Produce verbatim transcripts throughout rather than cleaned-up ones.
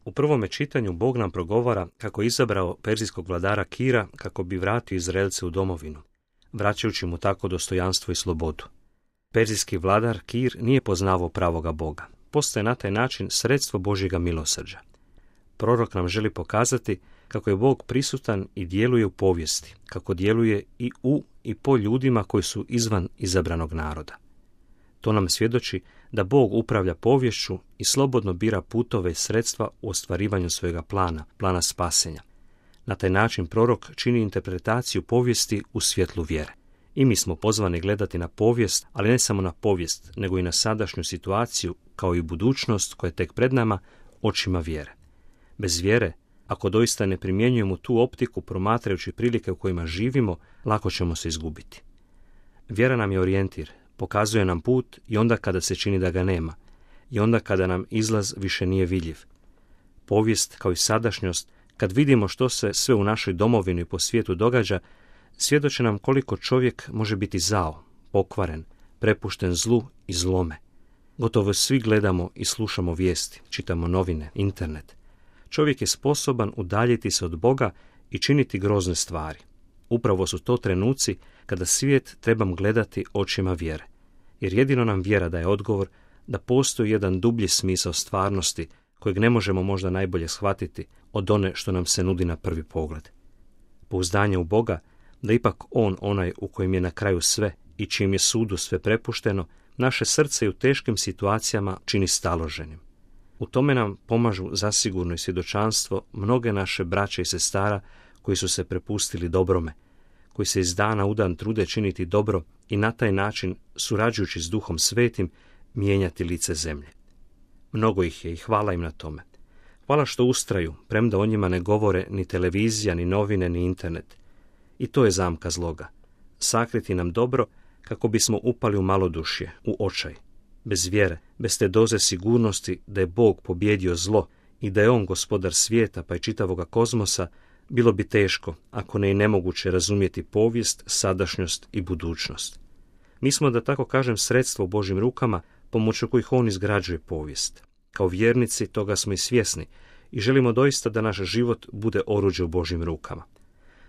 U prvome čitanju Bog nam progovara kako je izabrao perzijskog vladara Kira kako bi vratio Izraelce u domovinu, vraćajući mu tako dostojanstvo i slobodu. Perzijski vladar Kir nije poznavao pravoga Boga. Postaje na taj način sredstvo Božjega milosrđa. Prorok nam želi pokazati kako je Bog prisutan i djeluje u povijesti, kako djeluje i u i po ljudima koji su izvan izabranog naroda. To nam svjedoči da Bog upravlja poviješću i slobodno bira putove i sredstva u ostvarivanju svojega plana, plana spasenja. Na taj način prorok čini interpretaciju povijesti u svjetlu vjere. I mi smo pozvani gledati na povijest, ali ne samo na povijest, nego i na sadašnju situaciju, kao i budućnost koja je tek pred nama, očima vjere. Bez vjere, ako doista ne primjenjujemo tu optiku promatrajući prilike u kojima živimo, lako ćemo se izgubiti. Vjera nam je orijentir, pokazuje nam put i onda kada se čini da ga nema, i onda kada nam izlaz više nije vidljiv. Povijest, kao i sadašnjost, kad vidimo što se sve u našoj domovini i po svijetu događa, svjedoče nam koliko čovjek može biti zao, pokvaren, prepušten zlu i zlome. Gotovo svi gledamo i slušamo vijesti, čitamo novine, internet. Čovjek je sposoban udaljiti se od Boga i činiti grozne stvari. Upravo su to trenuci kada svijet trebam gledati očima vjere, jer jedino nam vjera daje odgovor da postoji jedan dublji smisao stvarnosti kojeg ne možemo možda najbolje shvatiti od one što nam se nudi na prvi pogled. Pouzdanje u Boga, da ipak On onaj u kojem je na kraju sve i čim je sudu sve prepušteno, naše srce i u teškim situacijama čini staloženim. U tome nam pomažu zasigurno i svjedočanstvo mnoge naše braće i sestara koji su se prepustili dobrome, koji se iz dana u dan trude činiti dobro i na taj način, surađujući s Duhom Svetim, mijenjati lice zemlje. Mnogo ih je i hvala im na tome. Hvala što ustraju, premda o njima ne govore ni televizija, ni novine, ni internet. I to je zamka zloga. Sakriti nam dobro kako bismo upali u malodušje, u očaj. Bez vjere, bez te doze sigurnosti da je Bog pobjedio zlo i da je On gospodar svijeta pa i čitavoga kozmosa, bilo bi teško, ako ne i nemoguće, razumjeti povijest, sadašnjost i budućnost. Mi smo, da tako kažem, sredstvo u Božjim rukama, pomoću kojih On izgrađuje povijest. Kao vjernici toga smo i svjesni i želimo doista da naš život bude oruđe u Božjim rukama.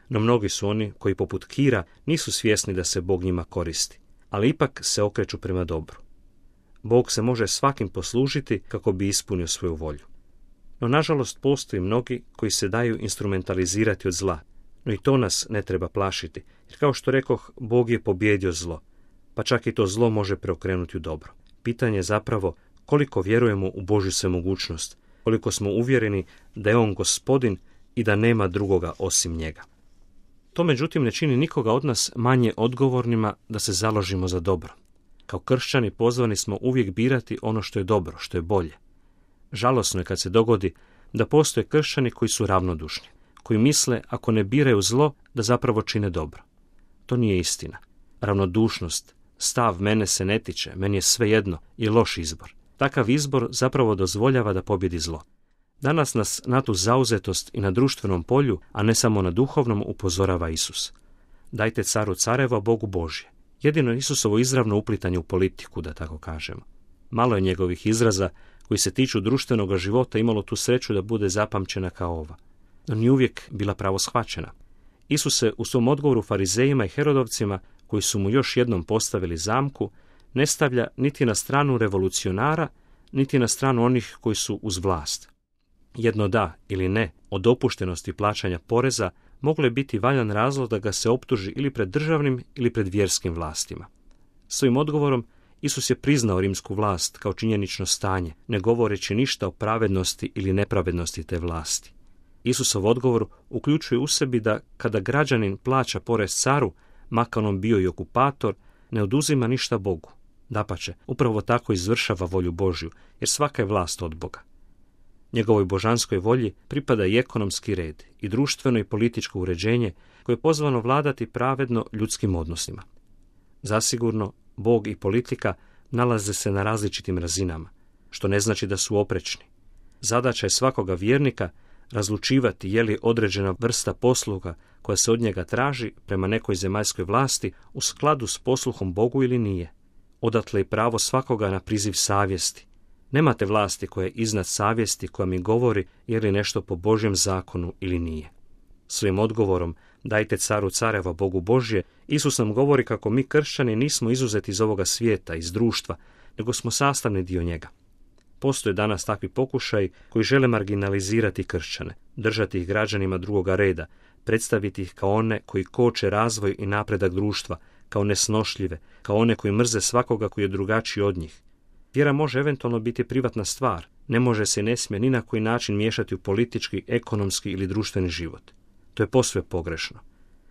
No mnogi su oni koji poput Kira nisu svjesni da se Bog njima koristi, ali ipak se okreću prema dobru. Bog se može svakim poslužiti kako bi ispunio svoju volju. No nažalost postoji mnogi koji se daju instrumentalizirati od zla, no i to nas ne treba plašiti, jer kao što rekoh, Bog je pobjedio zlo, pa čak i to zlo može preokrenuti u dobro. Pitanje je zapravo koliko vjerujemo u Božju svemogućnost, koliko smo uvjereni da je On gospodin i da nema drugoga osim njega. To međutim ne čini nikoga od nas manje odgovornima da se založimo za dobro. Kao kršćani pozvani smo uvijek birati ono što je dobro, što je bolje. Žalosno je kad se dogodi da postoje kršćani koji su ravnodušni, koji misle ako ne biraju zlo da zapravo čine dobro. To nije istina. Ravnodušnost, stav mene se ne tiče, meni je sve jedno, je loš izbor. Takav izbor zapravo dozvoljava da pobjedi zlo. Danas nas na tu zauzetost i na društvenom polju, a ne samo na duhovnom, upozorava Isus. Dajte caru careva, Bogu Božje. Jedino Isusovo izravno uplitanje u politiku, da tako kažemo. Malo je njegovih izraza koji se tiču društvenog života imalo tu sreću da bude zapamćena kao ova. No nije uvijek bila pravo shvaćena. Isus se u svom odgovoru farizejima i herodovcima, koji su mu još jednom postavili zamku, ne stavlja niti na stranu revolucionara, niti na stranu onih koji su uz vlast. Jedno da ili ne o dopuštenosti plaćanja poreza moglo je biti valjan razlog da ga se optuži ili pred državnim ili pred vjerskim vlastima. Svojim odgovorom Isus je priznao rimsku vlast kao činjenično stanje, ne govoreći ništa o pravednosti ili nepravednosti te vlasti. Isusov odgovor uključuje u sebi da kada građanin plaća porez caru, makar on bio i okupator, ne oduzima ništa Bogu. Dapače, upravo tako izvršava volju Božju, jer svaka je vlast od Boga. Njegovoj božanskoj volji pripada i ekonomski red i društveno i političko uređenje koje je pozvano vladati pravedno ljudskim odnosima. Zasigurno, Bog i politika nalaze se na različitim razinama, što ne znači da su oprečni. Zadaća je svakoga vjernika razlučivati je li određena vrsta posluga koja se od njega traži prema nekoj zemaljskoj vlasti u skladu s posluhom Bogu ili nije. Odatle i pravo svakoga na priziv savjesti. Nemate vlasti koja je iznad savjesti koja mi govori je li nešto po Božjem zakonu ili nije. Svojim odgovorom dajte caru careva Bogu Božje, Isus nam govori kako mi kršćani nismo izuzeti iz ovoga svijeta, iz društva, nego smo sastavni dio njega. Postoje danas takvi pokušaji koji žele marginalizirati kršćane, držati ih građanima drugoga reda, predstaviti ih kao one koji koče razvoj i napredak društva, kao nesnošljive, kao one koji mrze svakoga koji je drugačiji od njih. Vjera može eventualno biti privatna stvar, ne može se i ne smije ni na koji način miješati u politički, ekonomski ili društveni život. To je posve pogrešno.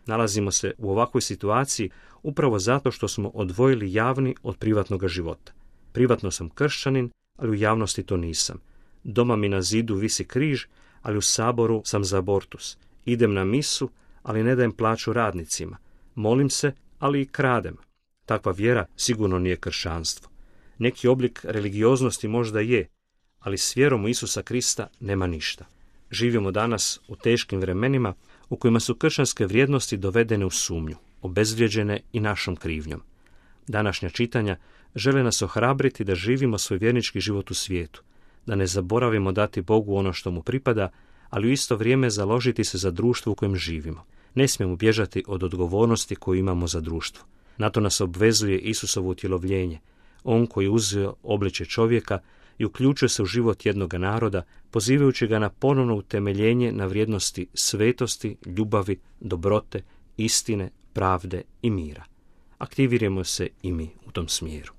Nalazimo se u ovakvoj situaciji upravo zato što smo odvojili javni od privatnog života. Privatno sam kršćanin, ali u javnosti to nisam. Doma mi na zidu visi križ, ali u saboru sam za abortus. Idem na misu, ali ne dajem plaću radnicima. Molim se, ali i kradem. Takva vjera sigurno nije kršćanstvo. Neki oblik religioznosti možda je, ali s vjerom u Isusa Krista nema ništa. Živimo danas u teškim vremenima u kojima su kršćanske vrijednosti dovedene u sumnju, obezvrijeđene i našom krivnjom. Današnja čitanja žele nas ohrabriti da živimo svoj vjernički život u svijetu, da ne zaboravimo dati Bogu ono što mu pripada, ali u isto vrijeme založiti se za društvo u kojem živimo. Ne smijemo bježati od odgovornosti koju imamo za društvo. Na to nas obvezuje Isusovo utjelovljenje, on koji je uzeo obličje čovjeka i uključuje se u život jednoga naroda, pozivajući ga na ponovno utemeljenje na vrijednosti svetosti, ljubavi, dobrote, istine, pravde i mira. Aktivirajmo se i mi u tom smjeru.